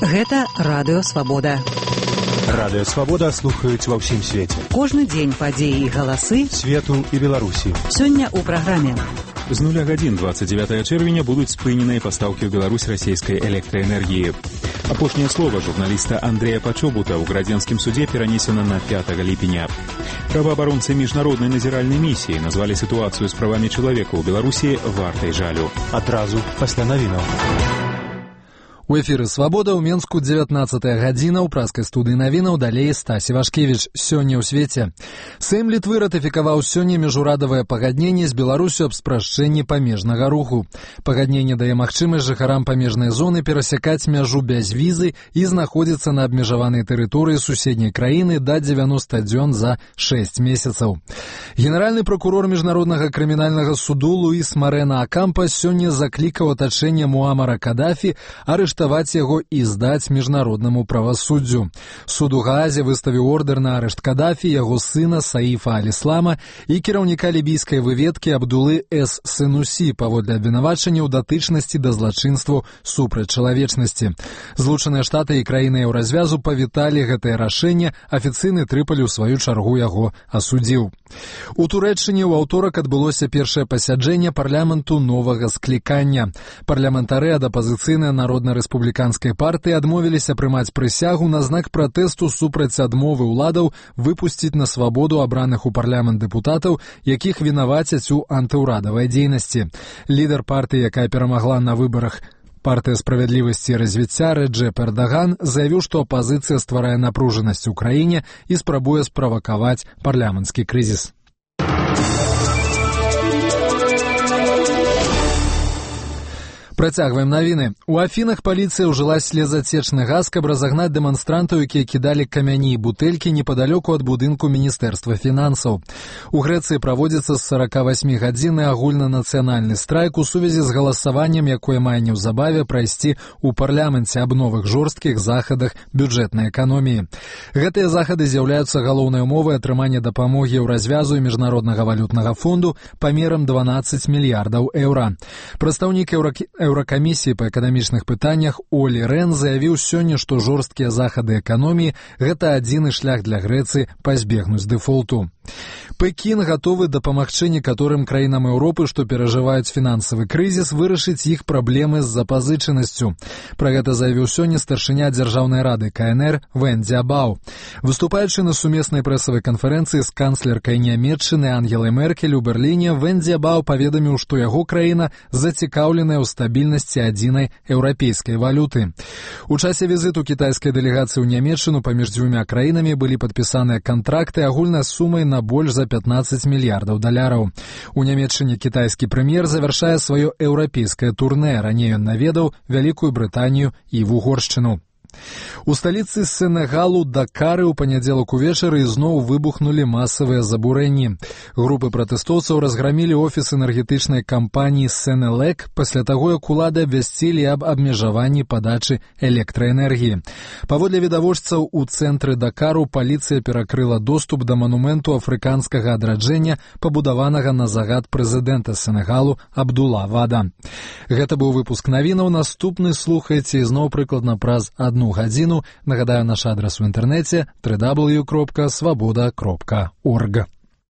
Гэта Радыё Свабода. Радыё Свабода слухаюць ва ўсім свеце. Кожны дзень падзеі і галасы свету і Беларусі. Сёння ў праграме. З 0 гадзін 29 чэрвеня будуць спыненыя пастаўкі ў Беларусь расійскай электраэнергіі. Апошняе слова журналіста Андрэя Пачобута ў градзенскім судзе перанесена на 5 ліпеня. Праваабаронцы міжнароднай назіральнай місіі назвалі сітуацыю з правамі чалавека ў Беларусі вартай жалю. Адразу пасля навінаў. У эфіры «Свабода» ў Менску 19-я гадзіна, ў праскай студыі навінаў далей Стасі Вашкевіч. Сёння ў свеце. Сэйм Літвы ратыфікаваў сёння міжурадавае пагадненне з Беларусю аб спрашчэнні памежнага руху. Пагадненне дае магчымасць жыхарам памежнай зоны перасякаць мяжу без візы і знаходзіцца на абмежаванай тэрыторыі суседняй краіны да 90 дзён за 6 месяцаў. Генеральны прокурор міжнароднага крымінальнага суду Луіс Марена Акампа сёння заклікаў атачэнне Муамара Кадафі арыштаваць яго і здаць міжнароднаму правасуддзю. Суд у Гаазе выставіў ордэр на арышт Кадафі, яго сына Саіфа Аль-Іслама і кіраўніка лібійскай выведкі Абдулы С. Сенусі паводле абвінавачання ў датычнасці да злачынству супраць чалавечнасці. Злучаныя Штаты і краіны еўразвязу павіталі гэтае рашэнне, афіцыйны Трыполі ў сваю чаргу яго асудзіў. У Турэччыне ў аўторак адбылося першае пасяджэнне парламенту новага склікання. Парламентары ад апазіцыйнай народна-рэспубліканскай партыі адмовіліся прымаць прысягу на знак пратэсту супраць адмовы ўладаў выпусціць на свабоду абраных у парламент дэпутатаў, якіх вінавацяць у антыўрадавай дзейнасці. Лідар партыі, якая перамагла на выбарах партыя справядлівасці і развіцця Рэджэп Эрдаган заявіў, што апазіцыя стварае напружанасць у краіне і спрабуе справакаваць парламенцкі крызіс. Працягваем навіны. У Афінах паліцыя ўжыла слезацечны газ, каб разагнаць дэманстрантаў, якія кідалі камяні і бутэлькі непадалёку ад будынку Міністэрства фінансаў. У Грэцыі праводзіцца з 48-гадзінны агульнанацыянальны страйк у сувязі з галасаваннем, якое мае неўзабаве прайсці ў парламенце аб новых жорсткіх захадах бюджэтнай эканоміі. Гэтыя захады з'яўляюцца галоўнай умовай атрымання дапамогі еўразвязу і міжнароднага валютнага фонду памерам 12 мільярдаў еўра. Прадстаўнік Еўракамісіі па эканамічных пытаннях Олі Рен заявіў сёння, што жорсткія захады эканоміі – гэта адзіны шлях для Грэцыі пазбегнуць дэфолту. Пекін гатовы дапамагчы некаторым краінам Еўропы, што перажываюць фінансавы крызіс, вырашыць іх праблемы з запазычанасцю. Пра гэта заявіў сёння старшыня Дзяржаўнай рады КНР Вэн Дзябаў. Выступаючы на сумеснай прэсавай канферэнцыі з канцлеркай Нямецчыны Ангелай Меркель у Берліне, Вэн Дзябаў паведаміў, што яго краіна зацікаўленая ў стабільнасці адзінай еўрапейскай валюты. У часе візіту кітайскай дэлегацыі ў Нямецчыну паміж дзвюма краінамі былі падпісаныя кантракты агульнай сумай на больш за 15 мільярдаў даляраў. У Нямецчыне кітайскі прэм'ер завяршае сваё еўрапейскае турнэ. Раней ён наведаў Вялікую Брытанію і Вугоршчыну. У сталіцы Сенегалу Дакары ў панядзелак увечары ізноў выбухнулі масавыя забурэнні. Групы пратэстоўцаў разграмілі офіс энергетычнай кампаніі Сенелек пасля таго, як улады абвясцілі аб абмежаванні падачы электраэнергіі. Паводле відавочцаў, у цэнтры Дакару паліцыя перакрыла доступ да манументу афрыканскага адраджэння, пабудаванага на загад прэзідэнта Сенегалу Абдула Вада. Гэта быў выпуск навінаў. Наступны слухайце ізноў прыкладна праз 1 гадзіну. Нагадаю, наш адрас у інтэрнэце www.swaboda.org.